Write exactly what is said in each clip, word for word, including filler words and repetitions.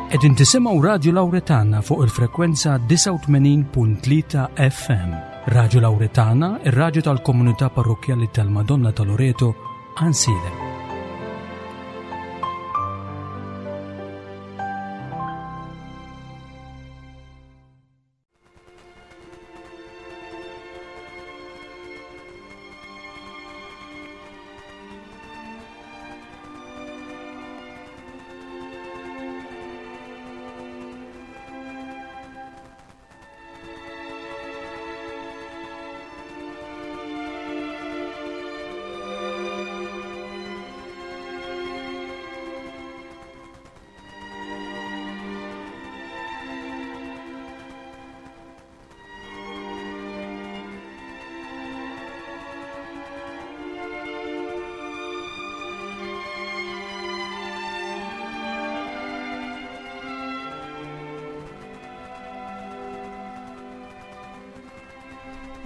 Qegħdin tisimgħu Radio Lauretana fuq il-frekwenza disgħa u tmenin punt tlieta F M. Radio Lauretana, ir-radju tal-komunità parrokkjali tal-Madonna ta' Loreto, Għajnsielem.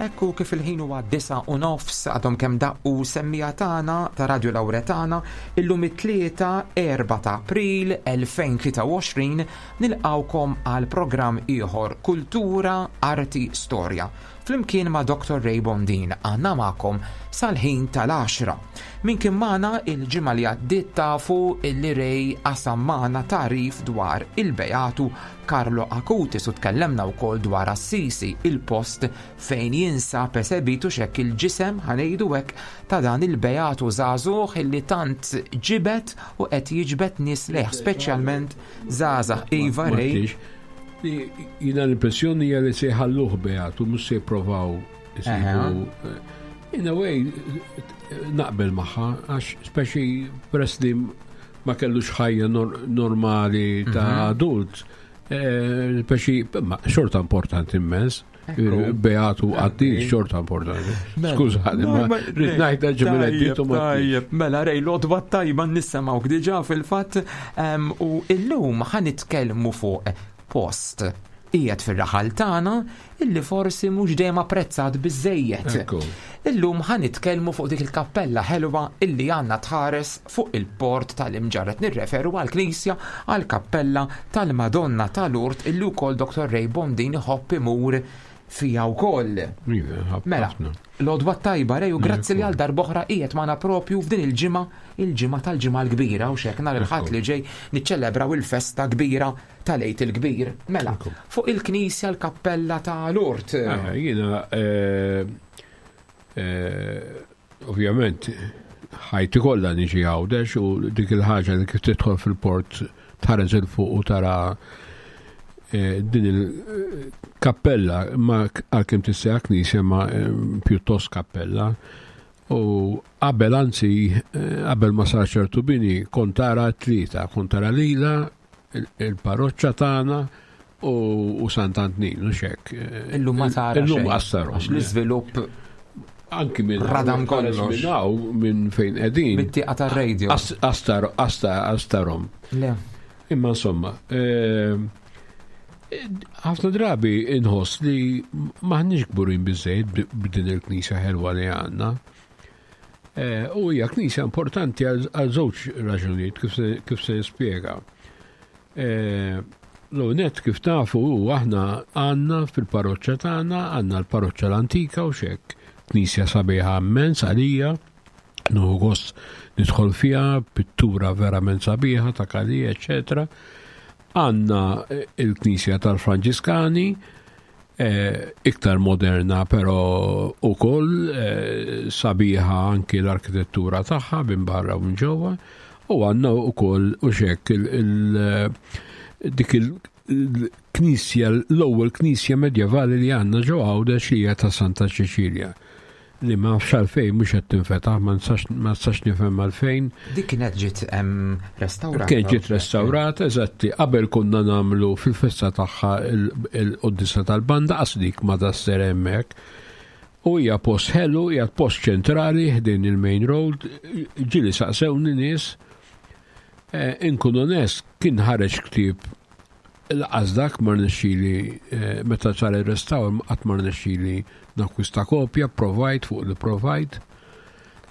Ekku kif il-ħin huwa disgħa u nofs, għadhom kemm daqqu semmiegħa tagħna ta' Radio Lauretana. Illum it-Tlieta erbgħa ta' April elfejn u tlieta u għoxrin, nilqawkom għal programm ieħor, Kultura Arti Storja. Flimkien ma' Doctor Ray Bondin għandna magħkom sal-ħin tal-għaxra. Min kien magħna il-ġimgħa li għaddiet tafu illi Ray qasam magħna tagħrif dwar il-Beatu Carlo Acutis u tkellemna wkoll dwar Assisi, il-post fejn jinsab esebitu xek il-ġisem, ħa ngħidu hekk, ta' dan il-Beatu żagħżugħ illi tant ġibet u qed jiġbed nies lejh, speċjalment żgħażagħ. Iva, Ray. Jiena l-impressjoni hija li se jħalluh beatu, mhux se jipprovaw isibu. In a way, naqbel magħha, għax speċi peress li ma kellux ħajja normali ta' mhm. adult, eh, speċi xorta importanti immens. Beatu għaddi xorta importanti. Skużani, ma rrid ngħidha ġimgħa. Tajjeb, mela Ray, l-għodwa tajba, nisimgħuk diġà fil-fatt, u illum ħa nitkellmu fuq post qiegħed fir-raħal tagħna illi forsi mhux dejjem apprezzat biżejjed. Illum ħa nitkellmu fuq dik il-kappella ħelwa illi għandna tħares fuq il-port tal-Imġarr. Nirreferu għall-knisja, għall-kappella tal-Madonna tal-Urt, illi wkoll Doctor Ray Bondin iħobb imur fija wkoll. Mela, l-għodwa tajba, Ray, u grazzi li għal darb'oħra qiegħed magħna propju f'din il-ġimgħa, il-ġimgħa tal-Ġimgħa l-Kbira, u xek nhar il-Ħadd li ġej niċċelebraw il-festa kbira tal-Għid il-Kbir. Mela, fuq il-knisja, l-kappella ta' Lourdes. Ah, jiena eh, eh, ovvjament ħajti kollha niġi Għawdex u dik il-ħaġa li kif tidħol fil-port tħares 'il fuq u tara eh, din il-kappella, ma għalkemm tissejjaħ knisja, ma pjuttost kappella. U qabel, anzi qabel ma sar ċertu bini, kont tara tlieta, kont tara lila, il-parroċċa tagħna u Sant'Antnin u xek. Illum ma tara. Illum għassarom. L-iżvilupp anki minn radam kollox. Minn hawn, minn fejn qegħdin. Mit-tieqa tar-radio. Astar, astar, astarom. Le. Imma insomma, eh, ħafna drabi inħoss li m'aħniex kburin biżejjed b'din il-knisja ħelwa li għandna. Eh, u hija knisja importanti għal żewġ raġunijiet, kif se nispjega. Eh, L-net kif tafu u aħna għandna fil-parroċċa tagħna, għandna l-parroċċa l-antika u xek, knisja sabiħa immens għalija, nieħu gost nidħol fiha, pittura verament sabiħa ta' Kalija, eccetera. Għandna il-knisja tal-Franġiskani, eh, iktar moderna, però ukoll eh, sabiħa anki l-arkitettura tagħha minn barra u minn ġewwa, u għandna ukoll u xek dik il-knisja, l-ewwel knisja medjevali li għandna ġo Għawdex, li hija ta' Santa Ċeċilja, li ma nafx għalfejn mhux qed tinfetaħ, ma nistax nifhem għalfejn. Dik kienet ġiet restaurata. Kienet ġiet restaurata, eżatti. Qabel konna nagħmlu fil-festa tagħha il-qoddisa tal-banda, qas dik ma tasser hemmhekk. U hija post ħelu, hija post ċentrali ħdejn il-main road, ġieli saqsewni nies, eh, inkun onest, kien ħareġ ktieb, lanqas dak ma rnexxieli, eh, meta sar il-restawr qatt ma rnexxieli nakwista kopja, provajt fuq li provajt.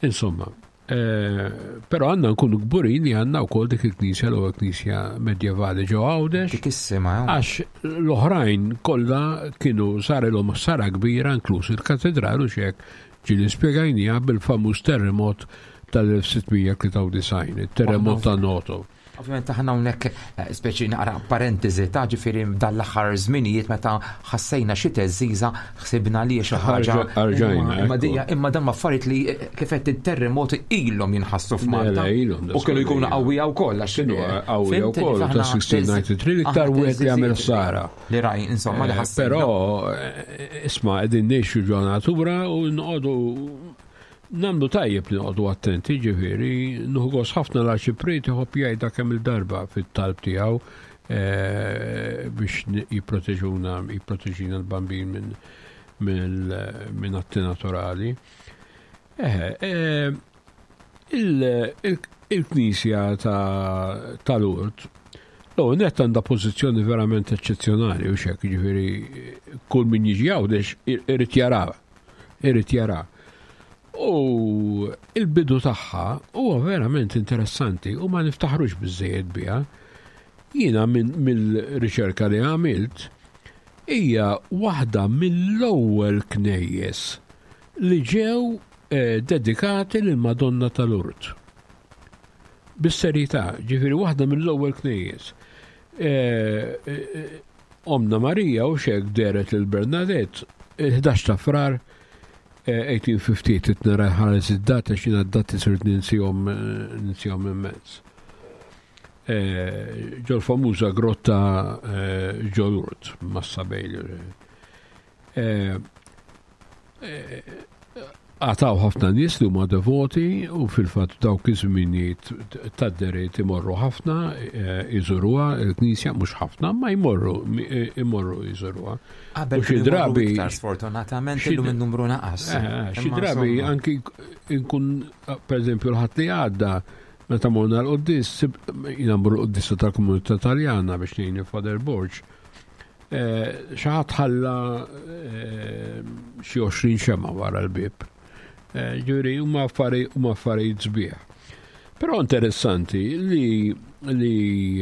Insomma, Eh, però għandna nkunu kburin li għandna wkoll dik il-knisja, l-ewwel knisja medjevali ġo Għawdex. Dik issima. Għax l-oħrajn kollha kienu sarilhom ħsara kbira, inkluż il-katedral u xek ġieli spjegajniha bil-famuż terremot tal-elf sitt mija tlieta u disgħin, il-terremot ta' Noto. Ovvijament aħna hawnhekk eh, speċi naqra parentesi ta' ġifieri dal-aħħar żminijiet meta ħassejna xi teżiża ħsibna li xi ħaġa. Arġajna. Imma dija imma dan affarijiet li eh, kif qed it-terremoti ilhom jinħassu f'Malta. U kienu jkunu qawwija wkoll għax kienu qawwija wkoll ta' sittax disgħa tnejn l-iktar wieħed li għamel ħsara. Li raj, insomma, li eh, ħassejna. Però isma', qegħdin ngħixu ġo natura u nqogħdu nagħmlu tajjeb li noqogħdu attenti, ġifieri, nieħu ħafna l-arċipriet iħobb jgħidha kemm il-darba fit-talb tiegħu eh, biex jipproteġuna, jipproteġina l-Bambin minn minn atti naturali. Eh, il-Knisja ta' Lourdes, L net għandha pożizzjoni verament eċċezzjonali u xek, ġifieri, kull min jiġi Għawdex irid jara, irid jara. U il-bidu tagħha huwa verament interessanti u ma niftaħrux biżejjed biha. Jiena mill-riċerka li għamilt, hija waħda mill-ewwel knejjes li ġew eh, dedikati lil Madonna tal-Lourdes. Bis-serjetà, ġifieri waħda mill-ewwel knejjes. Eh, eh, Omna Marija u xek dehret lil Bernadette il-ħdax ta' Frar elf tmien mija ħamsa u ħamsin, nara ħares id-data xina d-dati sirt ninsihom ninsihom immens. Ġol famuża grotta ġo Lourdes, Massa Bailey. Għataw ħafna nies li huma devoti u fil-fatt dawk iż-żminijiet tad-deriet imorru ħafna iżuruha il-knisja, mhux ħafna, ma jmorru imorru jżuruha. Qabel xi drabi sfortunatament illum in-numru naqas. Xi drabi anki nkun, pereżempju l-Ħadd li għadda meta morna l-quddies, jiena mmur l-quddies tal-komunità Taljana biex ngħin Father Borg. Xi ħadd ħalla xi għoxrin xemgħa wara l-bib. Ġifieri, huma affarijiet sbieħ. Però interessanti li li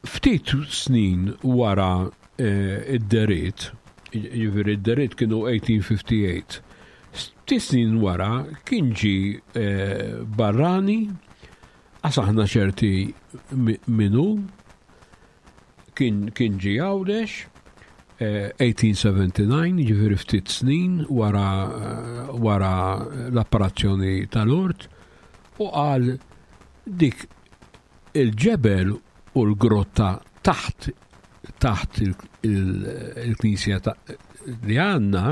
ftit snin wara id-dehriet, ġifieri id-dehriet kienu elf tmien mija ħamsa u ħamsin, ftit snin wara kien ġi barrani, aħna ċerti minnu, kien ġi Għawdex, elf tmien mija disgħa u sebgħin, ġifieri ftit snin wara, wara l-apparizzjoni ta' Lourdes, u qal dik il-ġebel u l-grotta taħt taħt il-knisja li għandna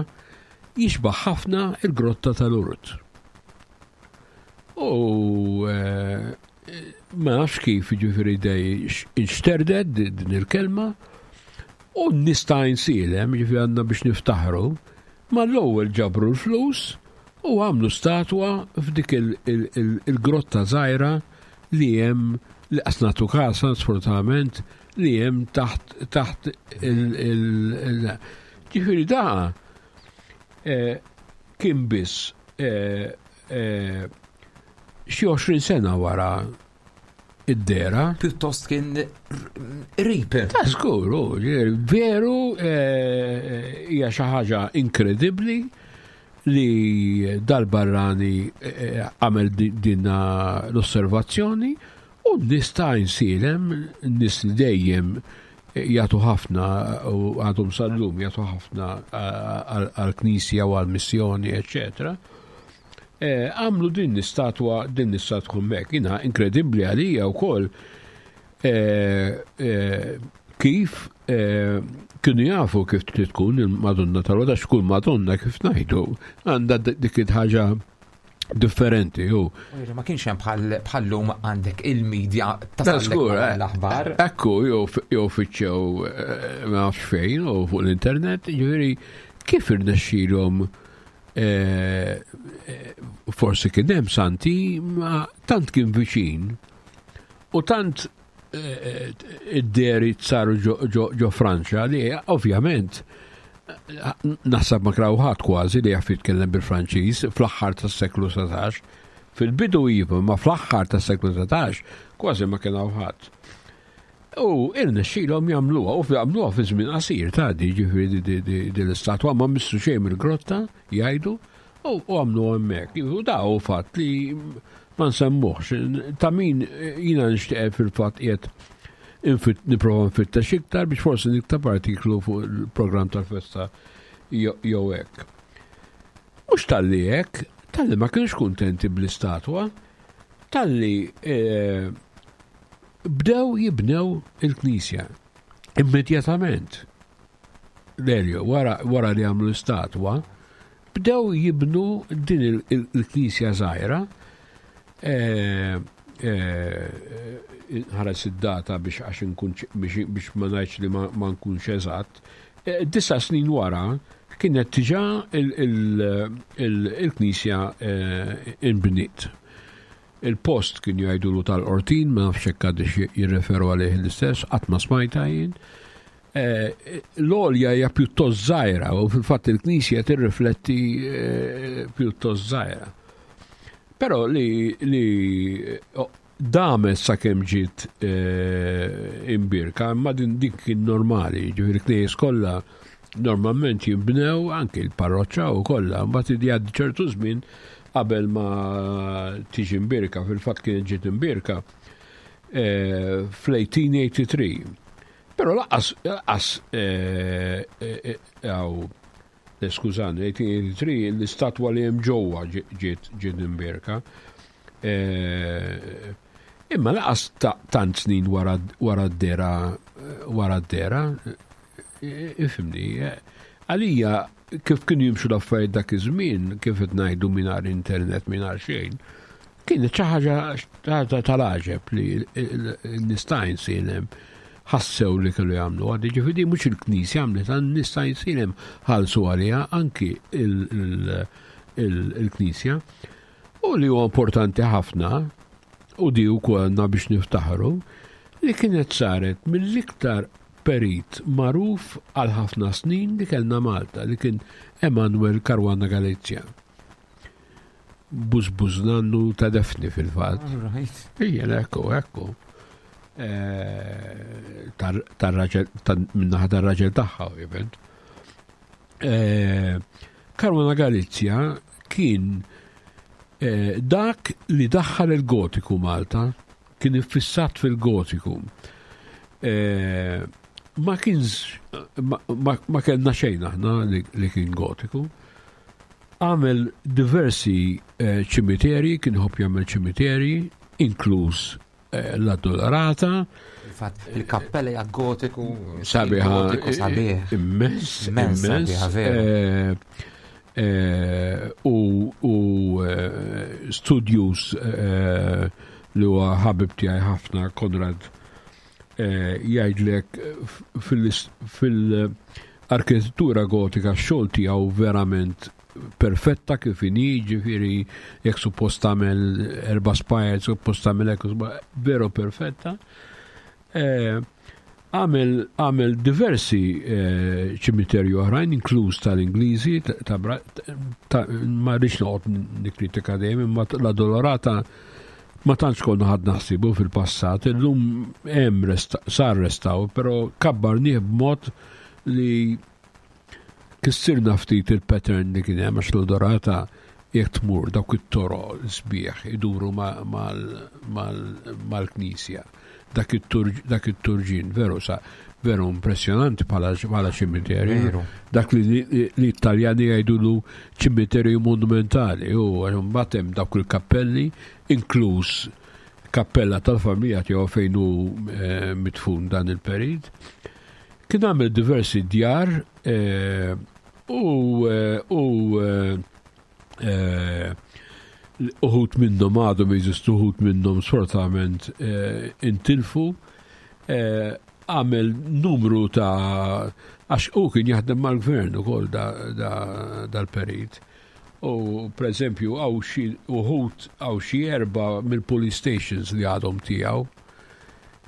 jixbaħ ħafna il-grotta ta' Lourdes. U ma nafx kif, ġifieri dej inxterdet din il-kelma u nista' nsilem, ġifieri għandna biex niftaħru, ma l-ewwel ġabru l-flus u għamlu statwa f'dik il-grotta żgħira li hemm li qasnatu kasa sfortunatament li hemm taħt taħt il ġifieri da kien biss xi għoxrin sena wara id-dehra. Pjuttost kien qrib. Ta' żgur, veru, hija xi ħaġa inkredibbli li dal-barrani għamel din l-osservazzjoni u nista' nsilem nies li dejjem jagħtu ħafna u għadhom sal-lum jagħtu ħafna għal-knisja u għal-missjoni, eccetera. Għamlu din l-istatwa, din l-istatwa hemmhekk. Jiena inkredibbli għalija wkoll kif kienu jafu kif trid tkun il-Madonna tal-Lourdes, x'kull Madonna, kif ngħidu, għandha dik il-ħaġa differenti. U ma kienx hemm bħallum għandek il-medja ta' l-aħbar. Ekku, jew fittxew ma nafx fejn u fuq l-internet, ġifieri kif irnexxielhom, forsi kien hemm santi, ma tant kien viċin u tant id-dehriet saru ġo Franċa li ovvjament Naħseb ma kien ħadd kważi li jaf jitkellem bil-Franċiż fl-aħħar tas-seklu satax. Fil-bidu iva, ma fl-aħħar tas-seklu satax kważi ma kien ħadd. U irnexxielhom jagħmluha, u jagħmluha fi żmien qasir ta' di, ġifieri di l-istatwa ma missu xejn mill-grotta jgħidu u għamlu hemmhekk. U da hu fatt li ma nsemmuhx. Ta' min jiena nixtieq fil-fatt qiegħed nipprova nfittex iktar biex forsi niktab artiklu fuq il-programm tal-festa jew hekk. Mhux talli hekk, talli ma kienx kuntenti bl-istatwa, talli bdew jibnew il-knisja immedjatament. Lelio, wara li għamlu l-istatwa, bdew jibnu din il-knisja żgħira. Ħares id-data biex għax nkun biex ma ngħidx li ma nkunx eżatt. Disa snin wara kienet diġà il-knisja inbniet. Il-post kien jgħidulu tal-Qortin, ma nafx hekk għadix jirreferu għalih l-istess, qatt ma smajta jien. L-għolja hija pjuttost żgħira u fil-fatt il-knisja tirrifletti pjuttost żgħira. Però li li damet sakemm ġiet imbirka, imma din dik kien normali, ġifieri knejjes kollha normalment jinbnew anke l-parroċċa u kollha, mbagħad jgħaddi ċertu żmien qabel ma tiġi imbirka, fil-fatt kienet ġiet imbirka fl-eighteen eighty-three. Però laqas, laqas għaw, skużani, eighteen eighty-three l-istatwa li hemm ġewwa ġiet ġiet imbirka. Imma laqas tant snin wara d-dera, wara d-dera, ifhimni, għalija kif kienu jimxu l-affarijiet dak iż-żmien, kif qed ngħidu mingħajr internet, mingħajr xejn, kienet xi ħaġa tal-għaġeb li n-nies ta' Għajnsielem ħassew li kellu jagħmlu. Għaddi ġifieri mhux il-Knisja għamlet, n-nies ta' Għajnsielem ħallsu għaliha anki il-Knisja. U li huwa importanti ħafna, u di wkoll għandna biex niftaħru, li kienet saret mill-iktar perit magħruf għal ħafna snin li kellna Malta, li kien Emanuel Caruana Galizia. Bużbuż nannu ta' Defni fil-fatt. Ija, ekku, ekku. Tar-raġel, minnaħa tar-raġel tagħha, ovvjament. Caruana Galizia kien dak li daħħal il-gotiku Malta, kien iffissat fil-gotiku. Ma kienx, ma kellna xejn aħna li kien gotiku. Għamel diversi ċimiterji, kien ħobb jagħmel ċimiterji, inkluż l-Addolorata. Infatti, il-kappella hija gotiku, sabiħa, gotiku sabiħ. Immens, Immens immens. sabiħa, veru. U, u studios li huwa ħabib tiegħi ħafna, Konrad, jgħidlek fil-arkitettura gotika x-xogħol tiegħu verament perfetta kif inhi, ġifieri jekk suppost tagħmel erba' spires, suppost tagħmel hekk, veru perfetta. Għamel, għamel diversi ċimiterji oħrajn, inkluż tal-Ingliżi, ta', ta', ma rridx noqgħod nikkritika dejjem, imma l-Addolorata ma tantx konna ħadd naħsibu fil-passat, illum hemm resta-, sar restaw, però kabbarnieh b'mod li kissirna ftit il-pattern li kien hemm, għax l-Addolorata jekk tmur dawk it-toroq sbieħ iduru mal-knisja. Dak it-turġin veru sa veru impressjonanti bħala ċimiterju. Veru. Dak li, li, li Italjani jgħidulu ċimiterju monumentali, u mbagħad hemm dawk il-kappelli, inkluż kappella tal-familja tiegħu fejn hu, eh, mitfun dan il-perit. Kien għamel diversi djar, eh, u, eh, u, eh, eh, uħut minnhom għadhom jeżistu, uħut minnhom sfortunatament, eh, intilfu. Eh, għamel numru ta' għax u kien jaħdem mal-gvern ukoll dal-perit. U per eżempju għaw xi uħut għaw xi erba' mill-police stations li għadhom tiegħu.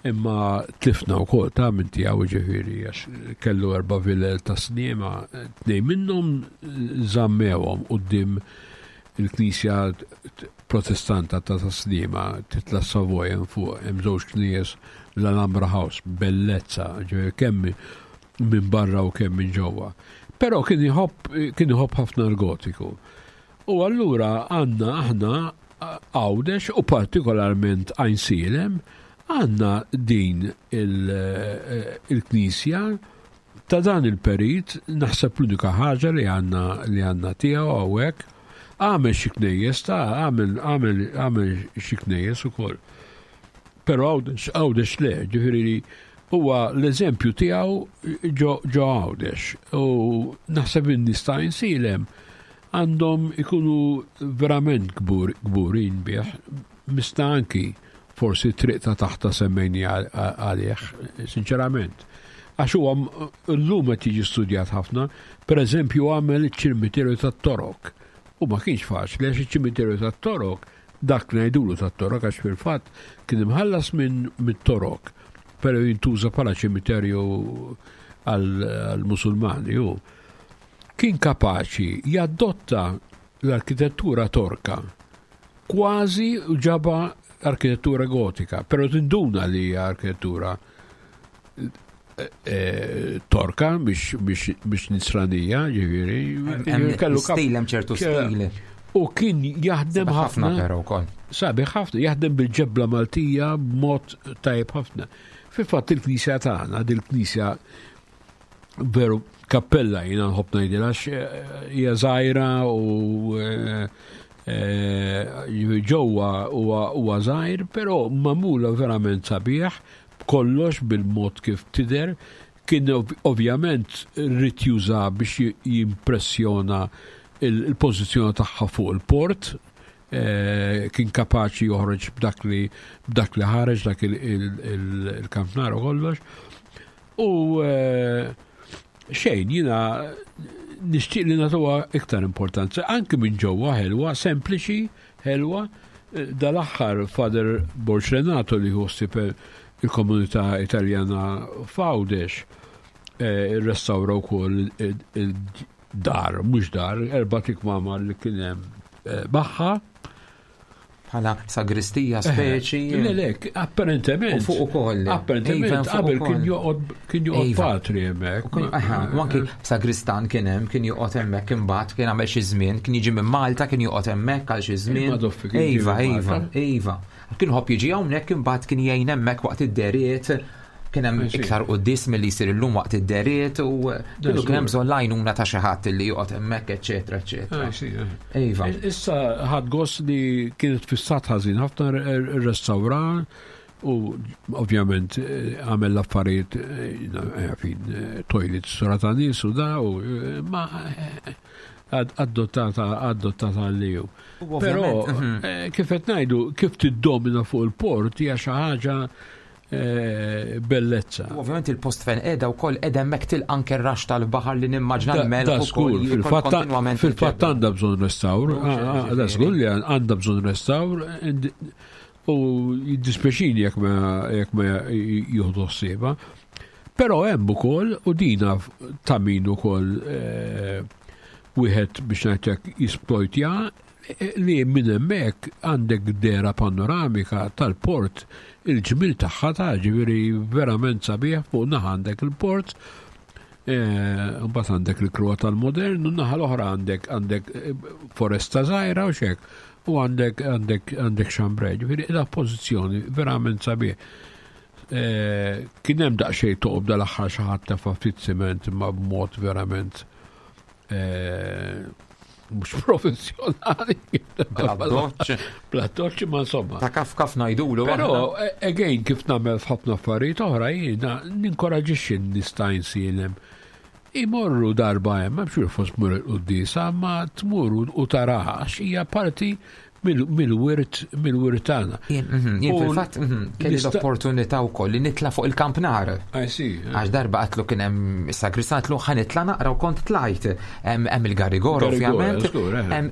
Imma tlifna wkoll ta' minn tiegħu, ġifieri għax kellu erba' vilel ta' Sliema, tnejn minnhom żammewhom quddiem il-Knisja Protestanta ta' Sliema, titla' Savoy hemm fuq, hemm żewġ knejjes, l-Alhambra House, bellezza, ġifieri kemm minn barra u kemm minn ġewwa. Però kien iħobb kien iħobb ħafna l-Gotiku. U allura għandna aħna Għawdex u partikolarment Għajnsielem għandna din il-knisja ta' dan il-perit, naħseb l-unika ħaġa li għandna li għandna tiegħu hawnhekk. Għamel xi knejjes ta' għamel għamel għamel xi knejjes ukoll. Però Għawdex Għawdex le, ġifieri huwa l-eżempju tiegħu ġo ġo Għawdex. U naħseb in-nies ta' Għajnsielem għandhom ikunu verament kbur, kburin bih. Mista anki forsi triq ta' taħta semmejni għalih, sinċerament. Għax huwa llum qed jiġi studjat ħafna, per eżempju għamel iċ-ċimiterju tat-Torok. U ma kienx faċli għax iċ-ċimiterju tat-Torok, dak ngħidulu tat-Torok għax fil-fatt kien imħallas minn mit-Torok, però jintuża bħala ċimiterju għall-Musulmani. U kien kapaċi jadotta l-arkitettura torka kważi ġaba arkitettura gotika, però tinduna li hija arkitettura eh, torka biex, biex, biex nisranija, ġifieri. Hemm Kellu kap- stil, hemm ċertu stil. U kien jaħdem Sabiħ ħafna ħafna. però wkoll. Sabiħ ħafna, jaħdem bil-ġebla Maltija b'mod tajjeb ħafna. Fil-fatt il-knisja tagħna, dil-knisja veru kappella jiena nħobb ngħidilha għax eh, hija żgħira u eh, eh, ġewwa huwa huwa żgħir, però magħmula verament sabiħ, b'kollox bil-mod kif tidher. Kien ov- ovvjament rrid juża biex ji- jimpressjona il- il-pożizzjoni tagħha fuq il-port, eh, kien kapaċi joħroġ b'dak li b'dak li ħareġ dak il- il- il- il-kampnar u kollox. U eh, xejn, jiena nixtieq li nagħtuha iktar importanza, anki minn ġewwa ħelwa, sempliċi, ħelwa. Eh, Dal-aħħar Father Borg Renato li ħossib il-komunità Italjana f'Għawdex, eh, restawra wkoll il-dar, mhux dar, erba' tikmamar li kien hemm eh, magħha. Bħala sagristija speċi. Le, le, apparentement. U fuq ukoll. Apparentement, Iva, fuq qabel ukoll. kien joqgħod kien joqgħod Iva. patri hemmhekk. U kien- aha, U anki sagristan kien hemm, kien joqgħod hemmhekk imbagħad kien għamel xi żmien, kien jiġi minn Malta, kien joqgħod hemmhekk għal xi żmien. Il-Madoffi kien jiġi Iva, minn iva, Malta. iva. Kien ħobb jiġi hawnhekk imbagħad kien jgħin hemmhekk waqt id-deriet. Kien hemm I see. iktar quddis milli jsir illum waqt id-deriet u kienu kien hemm bżonn l-għajnuna ta' xi ħadd li joqgħod hemmhekk, eċetera, eċetera. Ah, sì, eh. Iva. Issa ħad gost li kienet fissat ħażin ħafna restawra u ovvjament eh, għamel l-affarijiet eh, fin eh, toilet sura ta' nies u da u eh, ma eh, ad- adottata adottata li ju. U Però ovvjament, mhm. eh, kif qed ngħidu kif tiddomina fuq il-port hija xi ħaġa eh, bellezza. U ovvjament il-post fejn qiegħda wkoll qiegħda hemmhekk tilqa' anke r-rax tal-baħar li nimmaġna Da- l-melħ Da ukoll żgur, jiekol fil-fatt kontinwament fil-fatt il-ġebel. għandha bżonn restawr, Mhux, ah, ah, da ġifieri. żgur li għandha bżonn restawr ind- u jiddispjaċini jekk ma jekk ma jieħdu ħsiebha. Però hemm ukoll u dina ta' min ukoll eh, wieħed biex ngħidlek jisplojtja eh, li minn hemmhekk għandek dera panoramika tal-port, il-ġmil tagħha ta' ġifieri verament sabiħ. Fuq naħa għandek il-port, eh, mbagħad għandek il-kruha tal-modern u naħa l-oħra għandek għandek eh, foresta żgħira u xek u għandek għandek għandek Chambray, ġifieri da pożizzjoni verament sabiħ. Eh, Kien hemm daqsxejn toqob dal-aħħar xi ħadd tefa' ftit siment imma b'mod verament eh, mhux professjonali. Bla-doċ. Bla-doċ, ma insomma. Ta' kaf kaf ngħidulu. Però, aħna. eh, again, kif nagħmel f'ħafna affarijiet oħra, jiena ninkoraġixxi n-nies ta' Għajnsielem imorru darba hemm, m'hemmx fos tmur il-quddiesa, ma tmur u taraha għax hija parti mill-wirt mill-wirt tagħna. Jien mhm, jien U fil-fatt mhm, kelli nista- l-opportunità wkoll li nitla' fuq il-kampnar. I see. Għax darba għatlu kien hemm sagristan għatlu ħa nitla' naqra u kont tlajt. Hemm hemm il-Garigor Garigor, ovvjament. żgur, eh. Hemm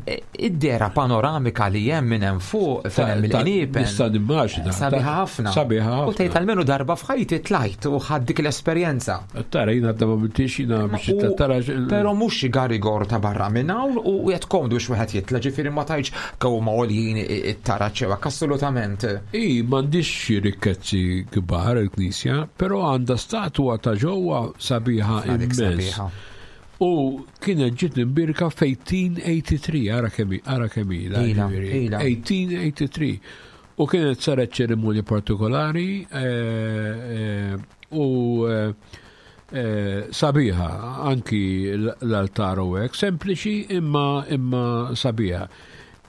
id-dera panoramika li hemm minn hemm fuq fejn hemm il-qniepen. Nista' nimmaġina. Sabiħa ħafna. Sabiħa U tgħid ħafna. almenu darba f'ħajti tlajt u ħadd dik l-esperjenza. Tara jiena għadda ma mintix jiena biex U- tara. Pero mhux xi Garigor ta' barra minn hawn u qed komdu biex wieħed jitla' ġifieri ma tgħidx kew ma għoljin it-taraġ jew hekk, assolutament. I, m'għandix xi rikkezzi kbar il-Knisja, però għandha statwa ta' ġewwa sabiħa Dik immens. sabiħa. U kienet ġiet imbierka f'għaxra tmienja u tmenin, ara kemm ara kemm ilha, Ila, ġifieri. ila. għaxra tmienja u tmenin. U kienet saret ċerimonja partikolari eh, eh, u eh, eh, sabiħa anki l- l-altar u hekk, sempliċi imma imma sabiħa.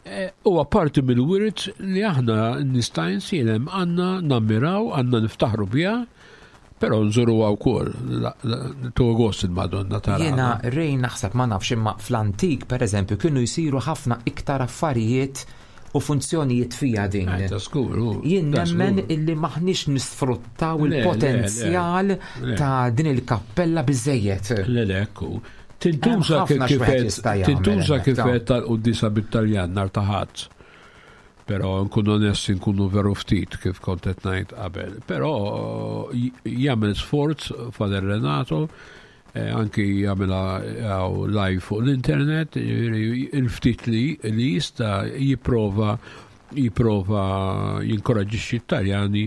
Eh, Huwa parti mill-wirt li aħna nista' nsielem għandna nammiraw, għandna niftaħru biha, però nżuruha wkoll. Tu gost il-Madonna tara. Jiena rej naħseb ma nafx imma fl-antik pereżempju kienu jsiru ħafna iktar affarijiet u funzjonijiet fija din. Ta' skur, u- Jien ta' nemmen skur. illi maħniex nisfruttaw Le, le, il-potenzjal le. ta' din il-kappella biżejjed. Le, le, ekku. Tintuża Hemm ħafna kif x'wieħed jista' jagħmel tintuża hemmhekk, kif ta' tal-quddisa bit-Taljan nhar ta' Ħadd. Però nkunu onesti nkunu veru ftit kif kont qed ngħid qabel. Però j- jagħmel sforz Father Renato, eh, anki jagħmilha hawn live fuq l-internet, jiġifieri il-ftit li li jista' jipprova jipprova jinkoraġġixxi t-Taljani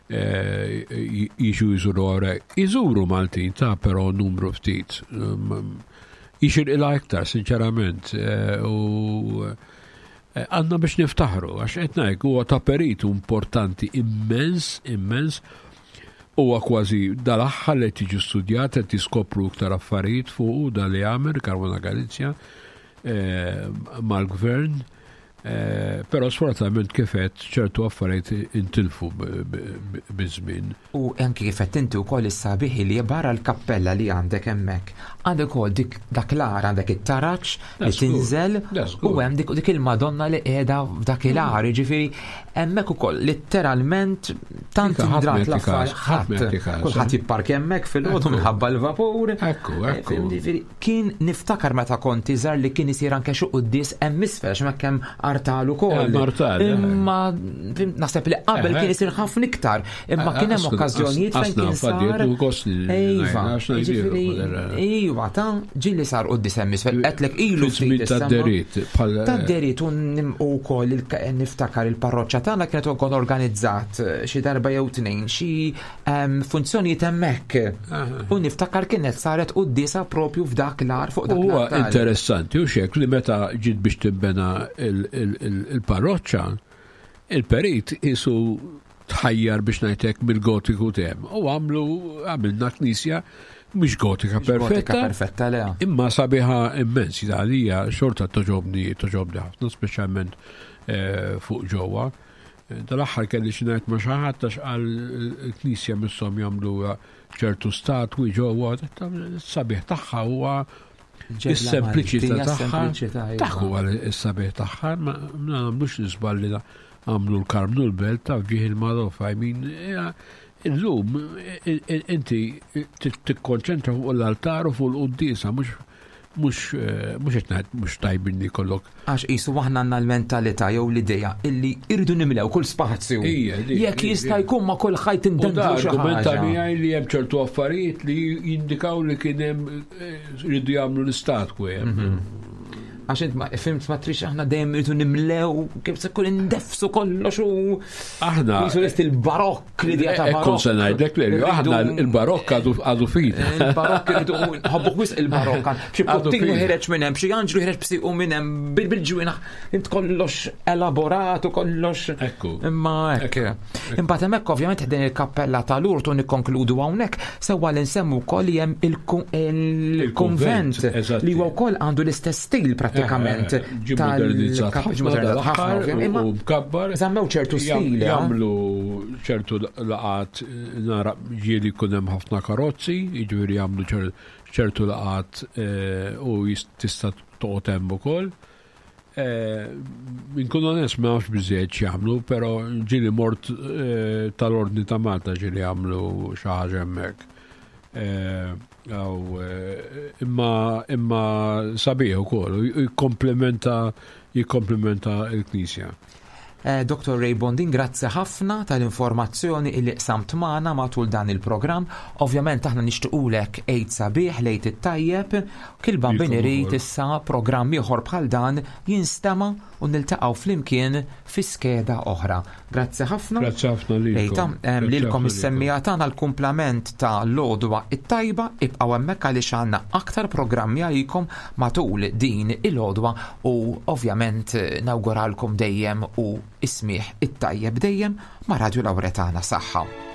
eh, jiġu jżuru għarek. Iżuru Maltin ta' però numru ftit. Um, Jixirqilha iktar, sinċerament. eh, U eh, għandna biex niftaħru, għax qed ngħid huwa ta' peritu importanti immens, immens. Huwa kważi dal-aħħar li tiġi studjat qed tiskopru iktar affarijiet fuq da li għamel Caruana Galizia eh, mal-gvern. Eh, Però sfortunatament kif għedt ċertu affarijiet intilfu b- b- biż-żmien. U anki kif qed inti wkoll is-sabiħ li barra l-kappella li għandek hemmhekk. Għandek ukoll dik dak l-għar għandek it-taraġ li Da żgur, tinżel da żgur. u hemm dik dik il-Madonna li qiegħda f'dak il-għar, jiġifieri hemmhekk ukoll letteralment tant Ika, ħadd indrat ma jagħti l-affarijiet każ, ħadd ma ħadd jagħti każ, kulħadd eh. jippark hemmhekk fil-għodu Ekku. minħabba l-vapur. Ekku, ekku. Ġifieri, kien niftakar meta kont iżgħar li kien isir anke xi quddies hemm isfel għax hemmhekk hemm artal ukoll. Hemm artal, eh. Imma fhimt, naħseb li qabel Eh, kien isir ħafna iktar, imma kien hemm okkażjonijiet fejn kien sar. Iva, jiġifieri, iva, ta' ġieli sar quddies hemm isfel, qedlek ilu ftit Ta' issemma. derit, bħal Ta' derit u nim- u wkoll il- niftakar il-parroċċa tagħna kienet ukoll organizzat eh, xi darba jew tnejn xi ehm, funzjonijiet hemmhekk. U niftakar kienet saret quddiesa propju f'dak l-għar fuq dak Huwa l-artal. interessanti u xek li meta ġiet biex timbena il- il- il- il-parroċċa, il-perit isu tħajjar biex ngħidlek mill-gotiku tem. U għamlu għamilna knisja mhix gotika Mhix gotika perfetta, perfetta le. imma sabiħa immens għalija xorta togħġobni togħġobni ħafna, speċjalment eh, fuq ġewwa. Eh, Dal-aħħar kelli xi ngħid ma' xi ħadd għax qal il-knisja misshom jagħmlu ċertu statwi ġewwa, sabiħ tagħha huwa is-sempliċità Maltija, tagħha. sempliċità, iva. Dak huwa is-sabiħ tagħha, ma ma nagħmlux l-iżball li għamlu l-Karmnu l-Belt ta' fġieħ il-Madofa. I mean, ja, illum i- i- inti tikkonċentra fuq l-altar u fuq l-quddiesa, mhux mhux eh, mhux qed ngħid mhux tajbin li jkollok. Għax qisu aħna għandna l-mentalità jew l-idea illi irridu nimlew kull spazju. Ija, di- Jekk di- jista' di. jkun ma' kull ħajt U da indendlu xi argumenta ħaġa. miegħi li hemm ċertu affarijiet li jindikaw li kien hemm eh, rridu jagħmlu l-istatwi hemm. Għax int ma fhimt ma trix aħna dejjem irridu nimlew kif se jkun indefsu kollox u Aħna qisu lest il-barokk l-idea ta' Ekkun barokk. se ngħidlek li aħna Irridu- il-barokk għadu għadu fina. Il-barokk irridu nħobbu wisq il-barokk. Xi Għadu puttinu fina. ħireġ minn hemm, xi anġlu ħireġ b'siqu minn hemm bil- bil-ġwienaħ, int kollox elaborat u kollox. Ekku. Imma hekk. Imbagħad hemmhekk ovvjament din il-kappella tal-Urtu nikkonkludu hawnhekk sewwa li nsemmu wkoll li hemm il-ku- il-kunvent eżatti. li huwa wkoll għandu l-istess stil prattikament. Eh, eh, Ġie modernizzat tal- ħafna ġie modernizzat ħafna, dal-aħħar ovvjament, imma u mkabbar. Żammew ċertu Jam- stil, eh? Jagħmlu ċertu laqat nara ġieli jkun hemm ħafna karozzi, jiġifieri jagħmlu ċer- ċertu laqat eh, u jis- tista' toqgħod hemm ukoll. Eh, Inkun onest, ma nafx biżejjed x'jagħmlu, però ġieli mort eh, tal-Ordni ta' Malta, ġieli jagħmlu xi ħaġa hemmhekk. Eh, Aw, eh, imma imma sabiħ ukoll, u jikkomplementa jikkomplementa l-knisja. Eh, Doktor Ray Bondin, grazzi ħafna tal-informazzjoni illi qsamt magħna matul dan il-programm. Ovvjament aħna nixtiequlek Għid sabiħ, l-Għid it-tajjeb, kil Bambin Lilkom irid ukoll. issa programm ieħor bħal dan jinstema' u niltaqgħu flimkien fi skeda oħra. Grazzi ħafna. Grazzi ħafna lilkom. Lejta, em, Grazzi lilkom ħafna. Is-semmiegħa tagħna, l-kumplament ta' l-għodwa it-tajba, ibqgħu hemmhekk għaliex għandna aktar programmi għalikom matul din il-għodwa u ovvjament eh, nawguralkom dejjem u is-smigħ it-tajjeb dejjem ma' Radio Lauretana. Saħħa.